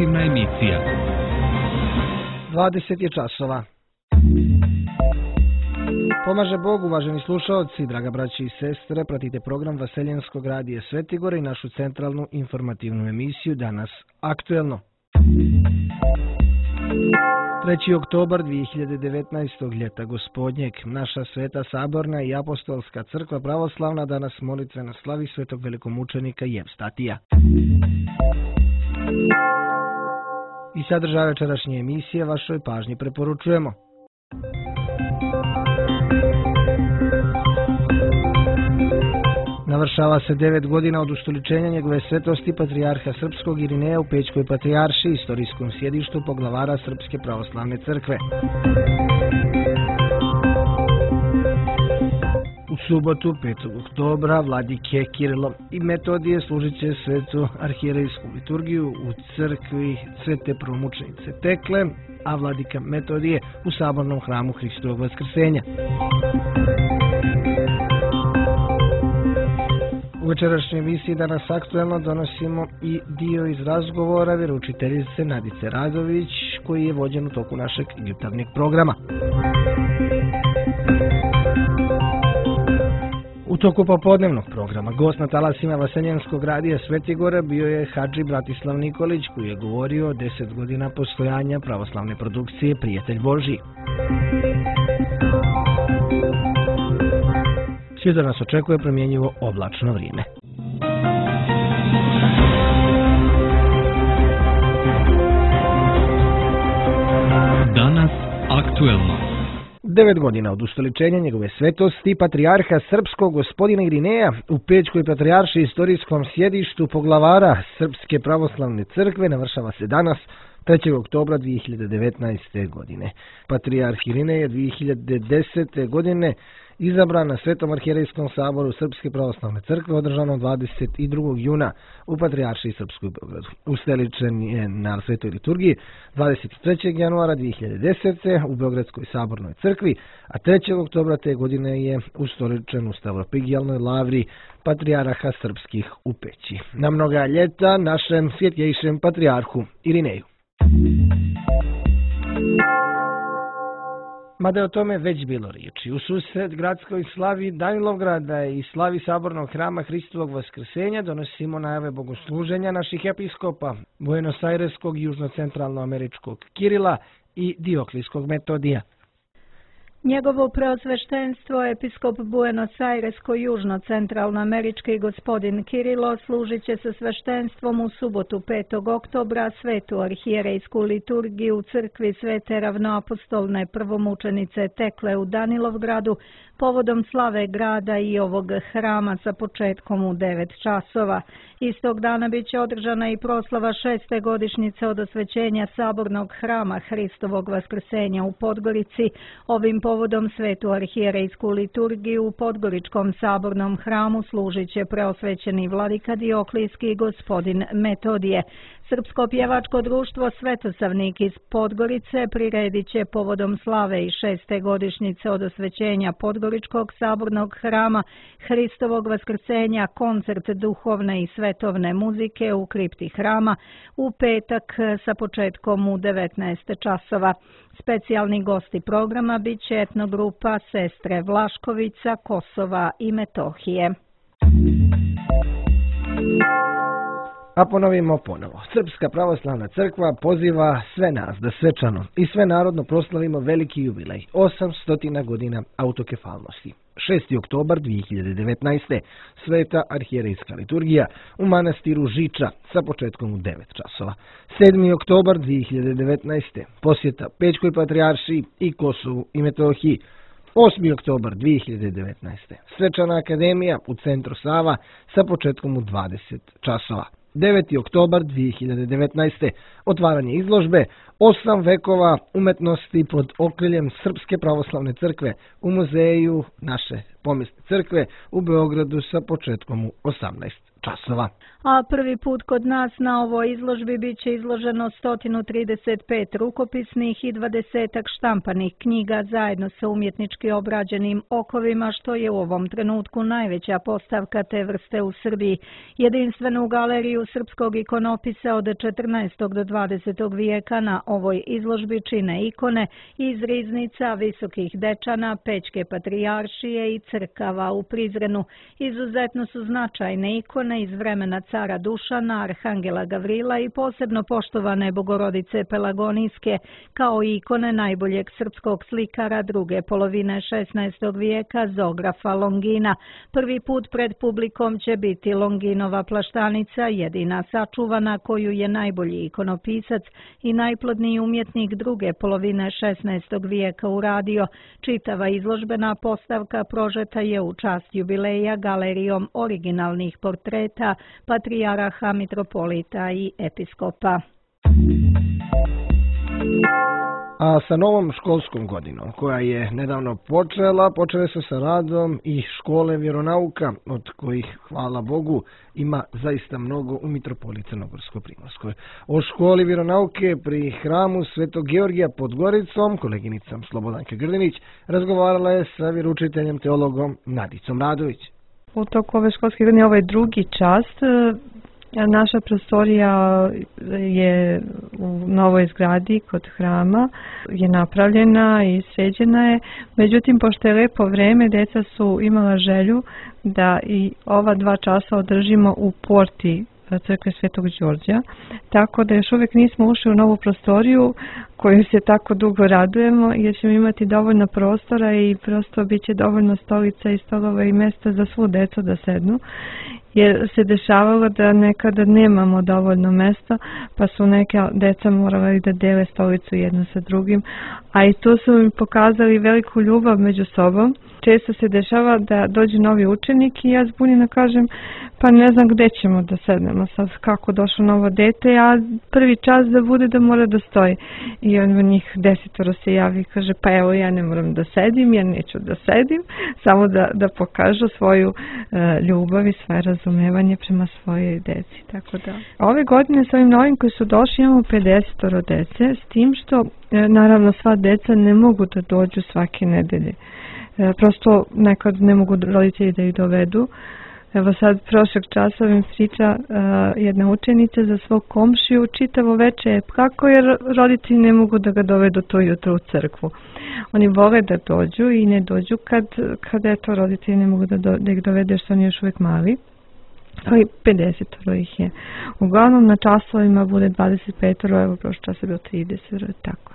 informativna emisija. 20 je časova. Pomaže Bog, uvaženi slušalci, draga braći i sestre, pratite program Vaseljenskog radija Svetigora i našu centralnu informativnu emisiju Danas aktuelno. 3. oktobar 2019. ljeta gospodnjeg, naša Sveta Saborna i Apostolska crkva pravoslavna danas molitveno slavi svetog velikomučenika Jevstatija. I sadržaj večerašnje emisije vašoj pažnji preporučujemo. Navršava se 9 godina od ustoličenja njegove svetosti patrijarha srpskog Irineja u Pećkoj patrijaršiji, istorijskom sjedištu poglavara Srpske pravoslavne crkve. U subotu, 5. oktobra, vladike Kirilo i Metodije služit će svetu arhijerejsku liturgiju u crkvi Svete Prvomučenice Tekle, a vladika Metodije u sabornom hramu Hristovog Vaskrsenja. U večerašnjoj emisiji Danas aktuelno donosimo i dio iz razgovora vjeroučiteljice Nadice Radović, koji je vođen u toku našeg jutarnjeg programa. U toku popodnevnog programa gost na talasima Vaseljenskog radija Svetigora bio je hadži Bratislav Nikolić, koji je govorio o 10 godina postojanja pravoslavne produkcije Prijatelj Božji. Svi da nas očekuje promjenjivo oblačno vrijeme. Danas aktuelno. 9 godina od ustoličenja njegove svetosti patrijarha srpskog gospodina Irineja u Pećkoj patrijaršiji istorijskom sjedištu poglavara Srpske pravoslavne crkve navršava se danas 3. oktobra 2019. godine. Patrijarh Irinej je 2010. godine izabran na Svetom arhijerejskom saboru Srpske pravoslavne crkve održano 22. juna u Patrijaršiji Srpskoj Beogradu. Ustoličen je na Svetoj liturgiji 23. januara 2010. u Beogradskoj sabornoj crkvi, a 3. oktobra te godine je ustoličen u Stavropigijalnoj lavri Patrijarha srpskih u Peći. Na mnoga ljeta našem svjetlejšem patrijarhu Irineju. Mada je o tome već bilo riječi. U susret gradskoj slavi Danilovgrada i slavi sabornog hrama Hristovog Vaskrsenja donosimo najave bogosluženja naših episkopa Buenos Aireskog južno-centralnoameričkog Kirila i Dioklijskog Metodija. Njegovo preosveštenstvo episkop Buenos Airesko južno-centralnoamerički gospodin Kirilo služit će se sveštenstvom u subotu 5. oktobra svetu arhijerejsku liturgiju u crkvi Svete ravnoapostolne prvomučenice Tekle u Danilovgradu povodom slave grada i ovog hrama sa početkom u 9 časova. Istog dana bit će održana i proslava 6. godišnjice od osvećenja sabornog hrama Hristovog Vaskrsenja u Podgorici. Ovim povodom svetu arhijerejsku liturgiju u Podgoričkom sabornom hramu služit će preosvećeni vladika Dioklijski gospodin Metodije. Srpsko pjevačko društvo Svetosavnik iz Podgorice priredit će povodom slave i 6. godišnjice od osvećenja Podgoričkog sabornog hrama Hristovog Vaskrsenja koncert duhovne i svetovne muzike u kripti hrama u petak sa početkom u 19 časova. Specijalni gosti programa bit će etnogrupa Sestre Vlaškovica, Kosova i Metohije. A ponovimo ponovo. Srpska pravoslavna crkva poziva sve nas da svečano i sve narodno proslavimo veliki jubilej, 800 godina autokefalnosti. 6. oktobar 2019. Sveta arhijerejska liturgija u manastiru Žiča sa početkom u 9 časova. 7. oktobar 2019. posjeta Pećkoj patrijaršiji i Kosovu i Metohiji. 8. oktobar 2019. Svečana akademija u centru Sava sa početkom u 20 časova. 9. oktobar 2019. otvaranje izložbe 8 vekova umetnosti pod okriljem Srpske pravoslavne crkve u muzeju naše pomjesne crkve u Beogradu sa početkom u 18 časova. A prvi put kod nas na ovoj izložbi bit će izloženo 135 rukopisnih i 20 štampanih knjiga zajedno sa umjetnički obrađenim okovima, što je u ovom trenutku najveća postavka te vrste u Srbiji. Jedinstvenu galeriju srpskog ikonopisa od 14. do 20. vijeka na ovoj izložbi čine ikone iz riznica Visokih Dečana, Pećke patrijaršije i crkava u Prizrenu. Izuzetno su značajne ikone iz vremena cara Dušana, arhangela Gavrila i posebno poštovane Bogorodice Pelagonijske, kao i ikone najboljeg srpskog slikara druge polovine 16. vijeka Zografa Longina. Prvi put pred publikom će biti Longinova plaštanica, jedina sačuvana koju je najbolji ikonopisac i najplodniji umjetnik druge polovine 16. vijeka uradio. Čitava izložbena postavka prožeta je u čast jubileja galerijom originalnih portreta patrijaraha, mitropolita i episkopa. A sa novom školskom godinom, koja je nedavno počele su sa radom i škole vjeronauka, od kojih, hvala Bogu, ima zaista mnogo u Mitropoliji Crnogorsko-Primorskoj. O školi vjeronauke pri hramu Svetog Georgija pod Goricom, koleginicom Slobodanke Grdinić, razgovarala je sa vjeroučiteljem teologom Nadicom Radović. U toku ove školske godine ovaj drugi čas. Naša prostorija je u novoj zgradi kod hrama, je napravljena i sređena je. Međutim, pošto je lepo vreme, djeca su imala želju da i ova 2 časa održimo u porti crkve Svetog Đorđa, tako da još uvijek nismo ušli u novu prostoriju koju se tako dugo radujemo, jer ćemo imati dovoljno prostora i prosto bit će dovoljno stolica i stolova i mjesta za svu djecu da sednu, jer se dešavalo da nekada nemamo dovoljno mjesta, pa su neka djeca morala da dele stolicu jedno sa drugim, a i tu su mi pokazali veliku ljubav među sobom. Često se dešava da dođe novi učenik i ja zbunjeno kažem, pa ne znam gdje ćemo da sednemo, sad kako došlo novo dete, a prvi čas da bude da mora da stoji. I on njih 10 se javi i kaže, pa evo ja ne moram da sedim, ja neću da sedim, samo da pokažu svoju ljubav i svoje razumevanje prema svojoj deci. Tako da. Ove godine s ovim novim koji su došli imamo 50 dece, s tim što naravno sva deca ne mogu da dođu svake nedelje. Prosto nekad ne mogu roditelji da ih dovedu. Evo sad prošlog časa mi priča jedna učenica za svog komšiju čitavo veče kako jer roditelji ne mogu da ga dovedu to jutro u crkvu. Oni vole da dođu i ne dođu kad eto roditelji ne mogu da ih dovedu jer su oni još uvijek mali. Ali 50 ih je. Uglavnom na časovima bude 25, evo prošlog časa je bilo 30, tako.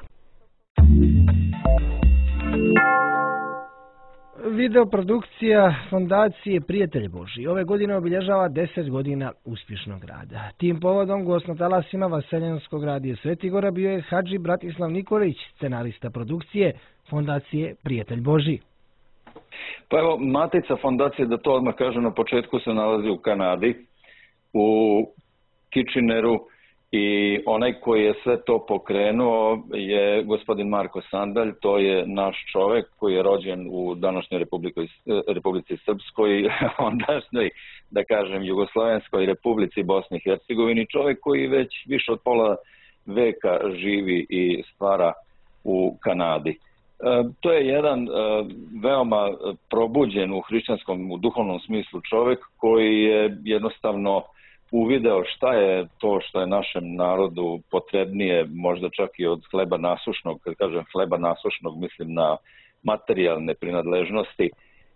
Videoprodukcija Fondacije Prijatelj Božji ove godine obilježava 10 godina uspješnog rada. Tim povodom gost na talasima Vaseljanskog radija Svetigora bio je Hadži Bratislav Nikolić, scenarista produkcije Fondacije Prijatelj Božji. Pa evo, matica fondacije, da to odmah kažem na početku, se nalazi u Kanadi, u Kitcheneru, i onaj koji je sve to pokrenuo je gospodin Marko Sandalj. To je naš čovjek koji je rođen u današnjoj Republici Srpskoj, ondašnjoj, da kažem, Jugoslovenskoj Republici Bosni i Hercegovini, čovjek koji već više od pola veka živi i stvara u Kanadi. To je jedan veoma probuđen u hrišćanskom, u duhovnom smislu čovjek koji je jednostavno uvideo šta je to što je našem narodu potrebnije, možda čak i od hleba nasušnog. Kad kažem hleba nasušnog, mislim na materijalne prinadležnosti,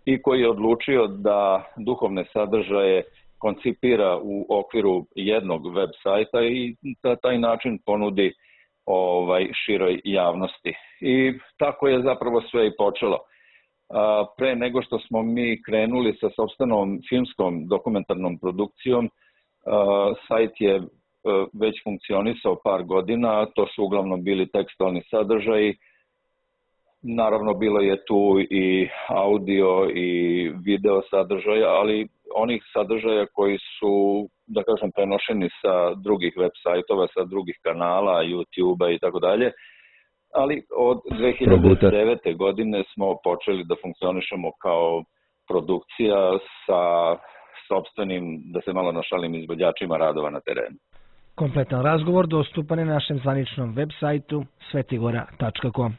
i koji je odlučio da duhovne sadržaje koncipira u okviru jednog web sajta i na taj način ponudi široj javnosti. I tako je zapravo sve i počelo. Pre nego što smo mi krenuli sa sopstvenom filmskom dokumentarnom produkcijom, sajt je već funkcionisao par godina, to su uglavnom bili tekstualni sadržaji. Naravno, bilo je tu i audio i video sadržaja, ali onih sadržaja koji su, da kažem, prenošeni sa drugih web sajtova, sa drugih kanala, YouTube-a i tako dalje. Ali od 2009. godine smo počeli da funkcionišemo kao produkcija sa sopstvenim, da se malo našalim, izvođačima radova na terenu. Kompletan razgovor dostupan je na našem zvaničnom web sajtu svetigora.com.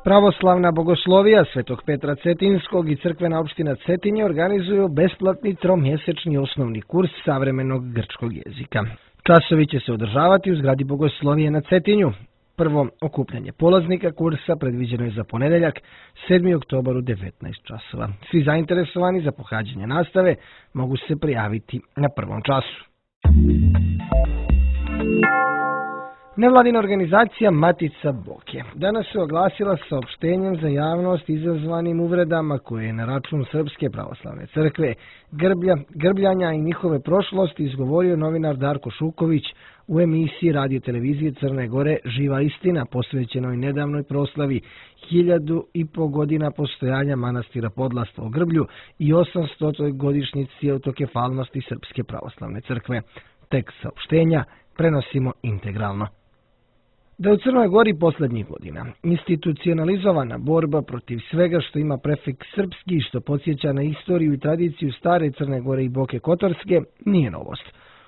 Pravoslavna bogoslovija Svetog Petra Cetinskog i crkvena opština Cetinje organizuju besplatni tromjesečni osnovni kurs savremenog grčkog jezika. Časovi će se održavati u zgradi bogoslovije na Cetinju. Prvo okupljanje polaznika kursa predviđeno je za ponedeljak, 7. oktobar u 19 časova. Svi zainteresovani za pohađanje nastave mogu se prijaviti na prvom času. Nevladina organizacija Matica Boke danas se oglasila saopštenjem za javnost izazvanim uvredama koje je na račun Srpske pravoslavne crkve, grbljanja i njihove prošlosti izgovorio novinar Darko Šuković u emisiji radio televizije Crne Gore Živa istina, posvećenoj nedavnoj proslavi 1000 godina postojanja manastira Podlastva u Grblju i 800. godišnjici autokefalnosti Srpske pravoslavne crkve. Tekst saopštenja prenosimo integralno. Da u Crnoj Gori posljednjih godina institucionalizovana borba protiv svega što ima prefiks srpski i što podsjeća na istoriju i tradiciju stare Crne Gore i Boke Kotorske nije novost.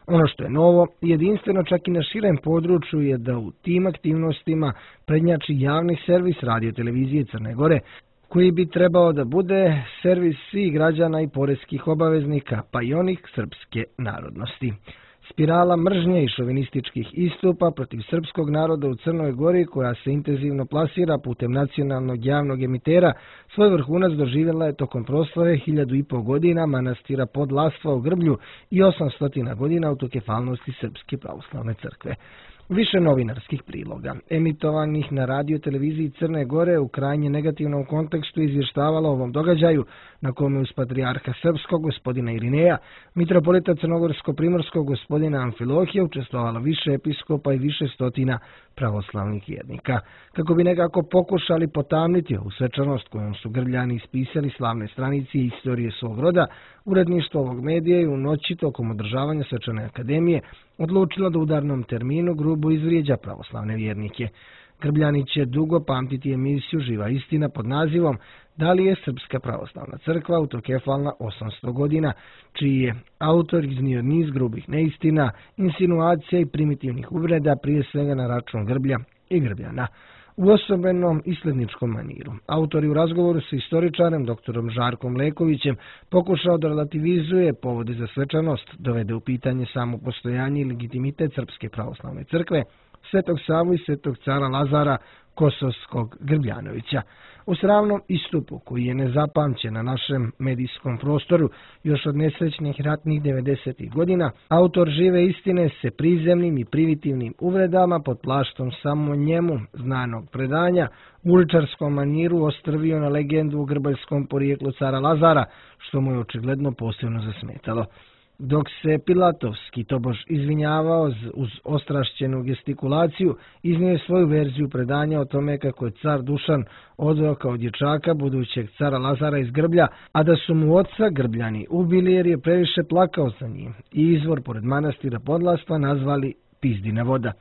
Ono što je novo, jedinstveno čak i na širem području, je da u tim aktivnostima prednjači javni servis radio televizije Crne Gore, koji bi trebao da bude servis svih građana i poreskih obaveznika, pa i onih srpske narodnosti. Spirala mržnje i šovinističkih istupa protiv srpskog naroda u Crnoj Gori, koja se intenzivno plasira putem nacionalnog javnog emitera, svoj vrhunac doživjela je tokom proslave 1000 godina manastira Podlastva u Grblju i 800 godina autokefalnosti Srpske pravoslavne crkve. Više novinarskih priloga, emitovanih na radio televiziji Crne Gore, u krajnje negativnom kontekstu izvještavalo o ovom događaju, na kome uz patrijarha srpskog gospodina Irineja, mitropolita crnogorsko-primorskog gospodina Amfilohija učestvovalo više episkopa i više stotina pravoslavnih vjernika. Kako bi nekako pokušali potamniti ovu svečanost kojom su Grbljani ispisali slavne stranice i istorije svog roda, uredništvo ovog medija je u noći tokom održavanja svečane akademije odlučilo da u udarnom terminu grubo izvrijeđa pravoslavne vjernike. Grbljani će dugo pamtiti emisiju Živa istina pod nazivom Da li je Srpska pravoslavna crkva autokefalna 800 godina, čiji je autor iznio niz grubih neistina, insinuacija i primitivnih uvreda, prije svega na račun Grblja i Grbljana. U osobenom isledničkom maniru, autor je u razgovoru sa istoričarem dr. Žarkom Lekovićem pokušao da relativizuje povode za svečanost, dovede u pitanje samo postojanje i legitimitet Srpske pravoslavne crkve, Svetog Savu i Svetog cara Lazara Kosovskog Grbljanovića. U sravnom istupu, koji je nezapamćen na našem medijskom prostoru još od nesrećnih ratnih 90. godina, autor Žive istine se prizemnim i privitivnim uvredama pod plaštom samo njemu znanog predanja u uličarskom maniru ostrvio na legendu o grbaljskom porijeklu cara Lazara, što mu je očigledno posebno zasmetalo. Dok se Pilatovski tobož izvinjavao uz ostrašćenu gestikulaciju, iznio je svoju verziju predanja o tome kako je car Dušan odveo kao dječaka budućeg cara Lazara iz Grblja, a da su mu oca Grbljani ubili jer je previše plakao za njim i izvor pored manastira Podlastva nazvali Pizdina voda.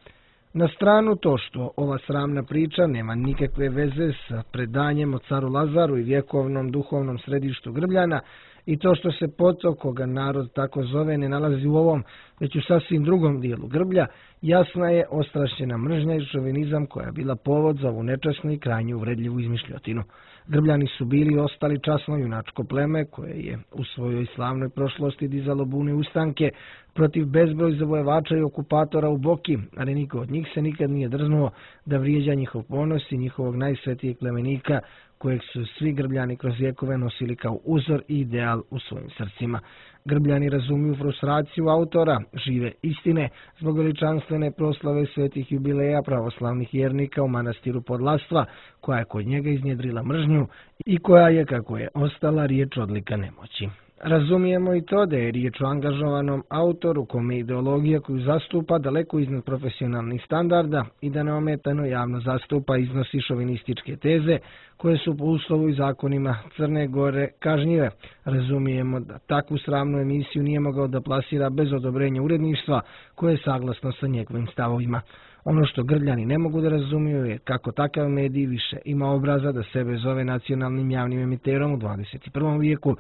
Na stranu to što ova sramna priča nema nikakve veze sa predanjem o caru Lazaru i vjekovnom duhovnom središtu Grbljana, i to što se potok, koga narod tako zove, ne nalazi u ovom, već u sasvim drugom dijelu Grblja, jasna je ostrašćena mržnja i šovinizam koja je bila povod za ovu nečasnu i krajnje uvredljivu izmišljotinu. Grbljani su bili i ostali časno junačko pleme koje je u svojoj slavnoj prošlosti dizalo bune ustanke protiv bezbroj zavojevača i okupatora u Boki, ali niko od njih se nikad nije drznuo da vrijeđa njihov ponos i njihovog najsvetijeg plemenika, kojeg su svi Grbljani kroz vjekove nosili kao uzor i ideal u svojim srcima. Grbljani razumiju frustraciju autora Žive istine zbog veličanstvene proslave svetih jubileja pravoslavnih vjernika u manastiru Podlastva, koja je kod njega iznjedrila mržnju i koja je, kako je ostala, riječ odlika nemoći. Razumijemo i to da je riječ o angažovanom autoru kome ideologija koju zastupa daleko iznad profesionalnih standarda i da neometano javno zastupa i iznosi šovinističke teze koje su po uslovu i zakonima Crne Gore kažnjive. Razumijemo da takvu sramnu emisiju nije mogao da plasira bez odobrenja uredništva koje je saglasno sa njegovim stavovima. Ono što Grđani ne mogu da razumiju je kako takav medij više ima obraza da sebe zove nacionalnim javnim emiterom u 21. vijeku,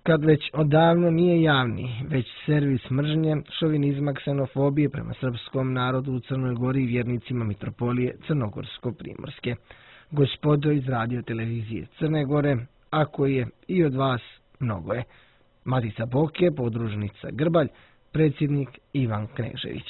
kad već odavno nije javni, već servis mržnje, šovinizma, ksenofobije prema srpskom narodu u Crnoj Gori i vjernicima mitropolije Crnogorsko-Primorske. Gospodo iz radio televizije Crne Gore, ako je i od vas, mnogo je. Matica Boke, podružnica Grbalj, predsjednik Ivan Knežević.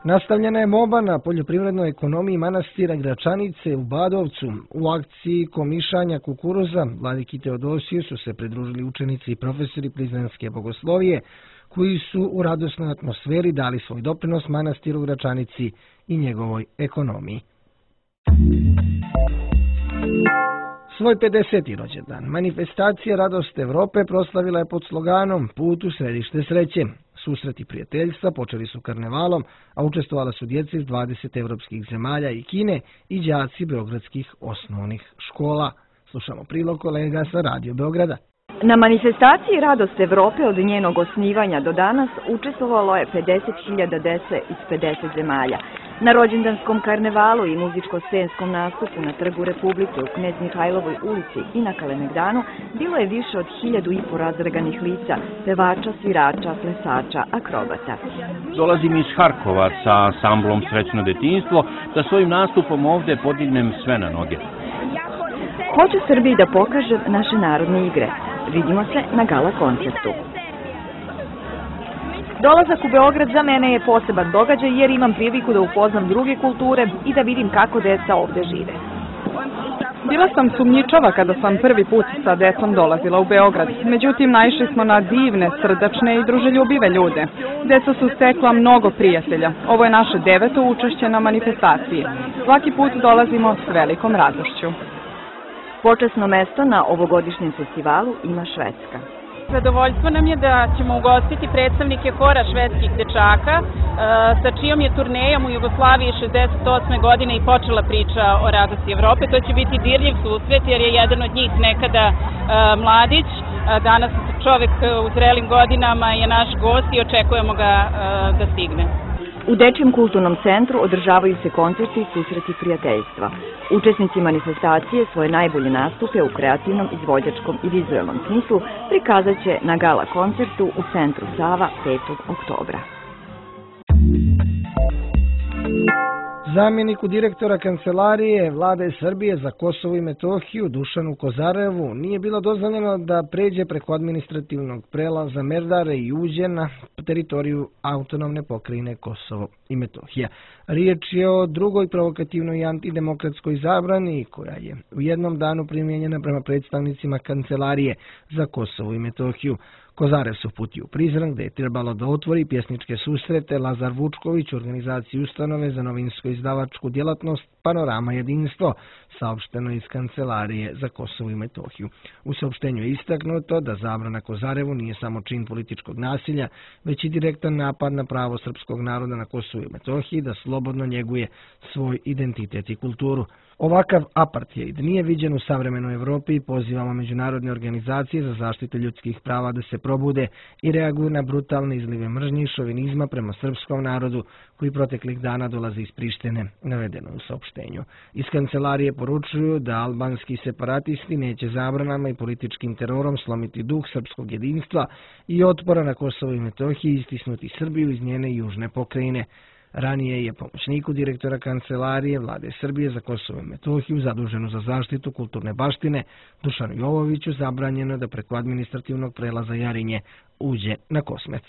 Nastavljena je moba na poljoprivrednoj ekonomiji manastira Gračanice u Badovcu. U akciji komišanja kukuruza vladiki Teodosiju su se pridružili učenici i profesori Prizrenske bogoslovije, koji su u radosnoj atmosferi dali svoj doprinos manastiru Gračanici i njegovoj ekonomiji. Svoj 50. rođendan manifestacija Radost Evrope proslavila je pod sloganom Put u središte sreće. Susreti prijateljstva počeli su karnevalom, a učestvovala su djeca iz 20 evropskih zemalja i Kine i đaci beogradskih osnovnih škola. Slušamo prilog kolega sa Radio Beograda. Na manifestaciji Radost Evrope od njenog osnivanja do danas učestvovalo je 50.000 dece iz 50 zemalja. Na rođendanskom karnevalu i muzičko-scenskom nastupu na Trgu Republike u Knez Mihajlovoj ulici i na Kalemegdanu bilo je više od 1.500 razreganih lica, pevača, svirača, plesača, akrobata. Dolazim iz Harkova sa ansamblom Srećno detinjstvo, da svojim nastupom ovdje podignem sve na noge. Hoću Srbiji da pokažem naše narodne igre. Vidimo se na gala koncertu. Dolazak u Beograd za mene je poseban događaj jer imam priliku da upoznam druge kulture i da vidim kako deca ovdje žive. Bila sam sumnjičava kada sam prvi put sa decom dolazila u Beograd. Međutim, naišli smo na divne, srdačne i druželjubive ljude. Deca su stekla mnogo prijatelja. Ovo je naše 9. učešće na manifestaciji. Svaki put dolazimo s velikom radošću. Počasno mesto na ovogodišnjem festivalu ima Švedska. Zadovoljstvo nam je da ćemo ugostiti predstavnike hora švedskih dečaka, sa čijom je turnejom u Jugoslaviji 68. godine i počela priča o Radosti Evrope. To će biti dirljiv susret jer je jedan od njih nekada mladić, danas čovek u zrelim godinama je naš gost i očekujemo ga da stigne. U Dečijem kulturnom centru održavaju se koncerti i susreti prijateljstva. Učesnici manifestacije svoje najbolje nastupe u kreativnom, izvođačkom i vizualnom smislu prikazat će na gala koncertu u centru Sava 5. oktobra. Zamjeniku direktora Kancelarije Vlade Srbije za Kosovo i Metohiju Dušanu Kozarevu nije bilo dozvoljeno da pređe preko administrativnog prelaza Merdare i uđe na teritoriju autonomne pokrajine Kosovo i Metohija. Riječ je o drugoj provokativnoj i antidemokratskoj zabrani koja je u jednom danu primijenjena prema predstavnicima Kancelarije za Kosovo i Metohiju. Kozarev se uputio u Prizren gdje je trebalo da otvori pjesničke susrete Lazar Vučković u organizaciji ustanove za novinsko-izdavačku djelatnost Panorama jedinstvo, saopšteno iz Kancelarije za Kosovo i Metohiju. U saopštenju je istaknuto da zabrana Kozarevu nije samo čin političkog nasilja, već i direktan napad na pravo srpskog naroda na Kosovu i Metohiji da slobodno njeguje svoj identitet i kulturu. Ovakav apartheid nije viđen u savremenoj Evropi i pozivamo međunarodne organizacije za zaštitu ljudskih prava da se probude i reaguju na brutalne izlive mržnje i šovinizma prema srpskom narodu koji proteklih dana dolazi iz Prištine, navedeno u saopštenju. Iz Kancelarije poručuju da albanski separatisti neće zabranama i političkim terorom slomiti duh srpskog jedinstva i otpora na Kosovo i Metohiji i istisnuti Srbiju iz njene južne pokrajine. Ranije je pomoćniku direktora Kancelarije Vlade Srbije za Kosovo i Metohiju zaduženu za zaštitu kulturne baštine Dušanu Jovoviću zabranjeno da preko administrativnog prelaza Jarinje uđe na Kosmet.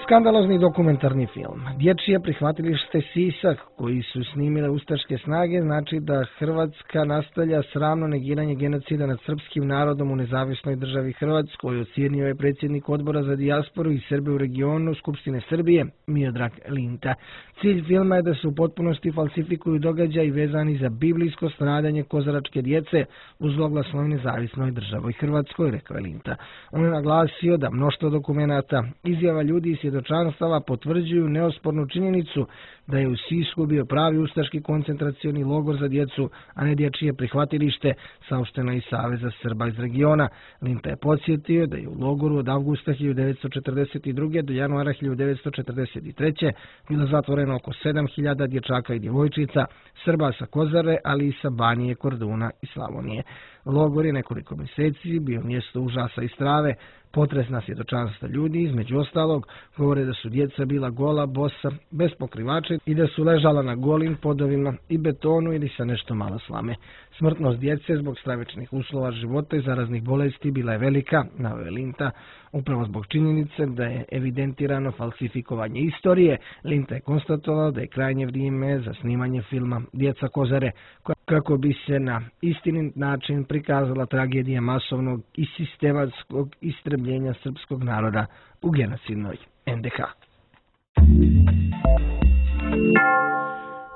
Skandalozni dokumentarni film Dječje prihvatilište Sisak koji su snimile ustaške snage znači da Hrvatska nastavlja sramno negiranje genocida nad srpskim narodom u nezavisnoj državi Hrvatskoj, ocijenio je predsjednik odbora za dijasporu i Srbe u regionu Skupštine Srbije Miodrag Linta. Cilj filma je da se u potpunosti falsifikuju događaji vezani za biblijsko stradanje kozaračke djece u zloglasnoj nezavisnoj državi Hrvatskoj, rekao je Linta. On je naglasio da mnoštvo dokumenata, izjava ljudi i svjedočanstava potvrđuju neospornu činjenicu da je u Sisku bio pravi ustaški koncentracioni logor za djecu, a ne dječje prihvatilište, saopšteno iz Saveza Srba iz regiona. Linta je podsjetio da je u logoru od avgusta 1942. do januara 1943. bilo zatvoreno oko 7000 dječaka i djevojčica, Srba sa Kozare, ali i sa Banije, Korduna i Slavonije. Logor je nekoliko mjeseci bio mjesto užasa i strave, potresna svjedočanstva ljudi, između ostalog, govore da su djeca bila gola, bosa, bez pokrivača i da su ležala na golim podovima i betonu ili sa nešto malo slame. Smrtnost djece zbog stravičnih uslova života i zaraznih bolesti bila je velika, naveo je Linta, upravo zbog činjenice da je evidentirano falsifikovanje istorije. Linta je konstatovao da je krajnje vrijeme za snimanje filma Djeca Kozare, kako bi se na istinit način prikazala tragedija masovnog i sistematskog istrebljenja srpskog naroda u genocidnoj NDH.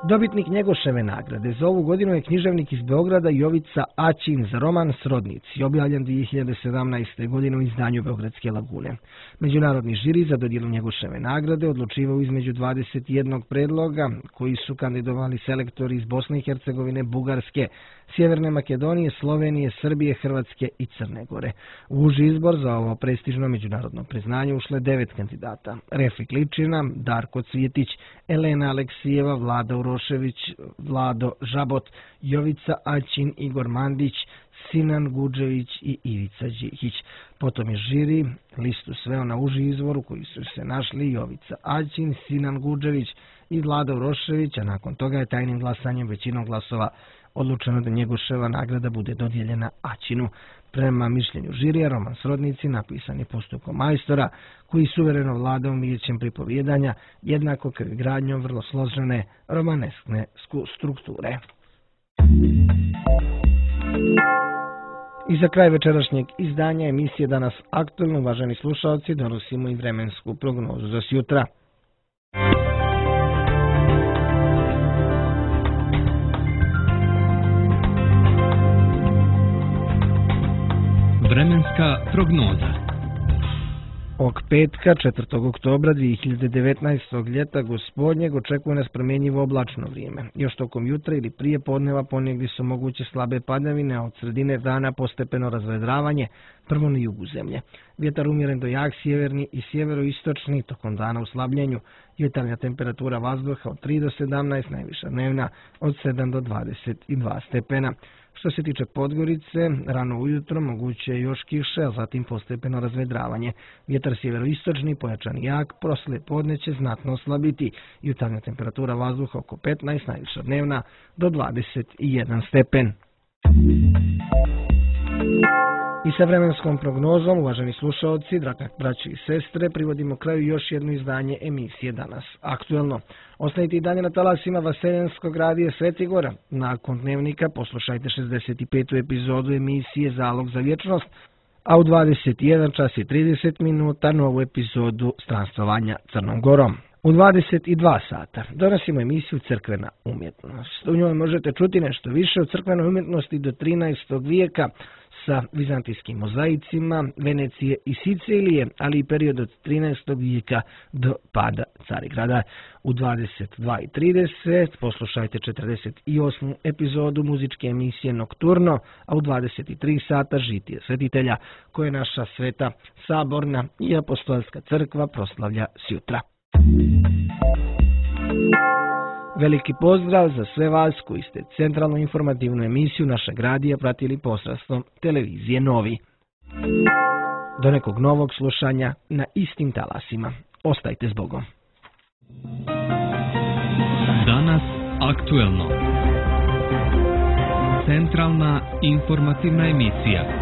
Dobitnik Njegoševe nagrade za ovu godinu je književnik iz Beograda Jovica Aćin za roman Srodnici, objavljen 2017. godine u izdanju Beogradske lagune. Međunarodni žiri za dodjelu Njegoševe nagrade odlučivao između 21 predloga koji su kandidovali selektori iz Bosne i Hercegovine, Bugarske, Sjeverne Makedonije, Slovenije, Srbije, Hrvatske i Crne Gore. U uži izbor za ovo prestižno međunarodno priznanje ušle 9 kandidata: Refik Ličina, Darko Cvjetić, Elena Aleksijeva, Vlada Urošević, Vlado Žabot, Jovica Aćin, Igor Mandić, Sinan Guđević i Ivica Đihić. Potom je žiri listu sveo na uži izvor u koji su se našli Jovica Aćin, Sinan Guđević i Vlada Urošević, a nakon toga je tajnim glasanjem većinom glasova odlučeno da Njegoševa nagrada bude dodijeljena Aćinu. Prema mišljenju žirija, roman Srodnici napisan je postupkom majstora koji suvereno vlada umijećem pripovjedanja, jednako kao i gradnjom vrlo složene romaneskne strukture. I za kraj večerašnjeg izdanja emisije Danas aktuelno, uvaženi slušalci, donosimo i vremensku prognozu za sjutra. Vremenska prognoza. Ovog petka, 4. oktobra 2019. ljeta gospodnjeg, očekuje nas promjenjivo oblačno vrijeme. Još tokom jutra ili prije podneva ponegdje su moguće slabe padavine, a od sredine dana postepeno razvedravanje, prvo na jugu zemlje. Vjetar umjeren do jak sjeverni i sjeveroistočni, tokom dana u slabljenju. Jutarnja temperatura vazduha od 3 do 17, najviša dnevna od 7 do 22 stepena. Što se tiče Podgorice, rano ujutro moguće je još kiše, a zatim postepeno razvedravanje. Vjetar sjeveroistočni, pojačan i jak, poslije podne će znatno oslabiti. Jutarnja temperatura vazduha oko 15, najviša dnevna do 21 stepen. I sa vremenskom prognozom, uvaženi slušalci, dragi braći i sestre, privodimo kraju još jedno izdanje emisije Danas aktuelno. Ostanite i dalje na talasima Vaseljenskog radija Svetigora. Nakon dnevnika poslušajte 65. epizodu emisije Zalog za vječnost, a u 21 čas i 30 minuta novu epizodu Stranstvovanja Crnom Gorom. U 22 sata donosimo emisiju Crkvena umjetnost. U njoj možete čuti nešto više o crkvenoj umjetnosti do 13. vijeka sa vizantijskim mozaicima Venecije i Sicilije, ali i period od 13. vijeka do pada Carigrada. U 22:30 poslušajte 48. epizodu muzičke emisije Nokturno, a u 23 sata Žitije svetitelja, koje naša sveta saborna i apostolska crkva proslavlja sjutra. Veliki pozdrav za sve vas koji ste centralnu informativnu emisiju našeg radija pratili posredstvom televizije Novi. Do nekog novog slušanja na istim talasima. Ostajte s Bogom. Danas aktuelno. Centralna informativna emisija.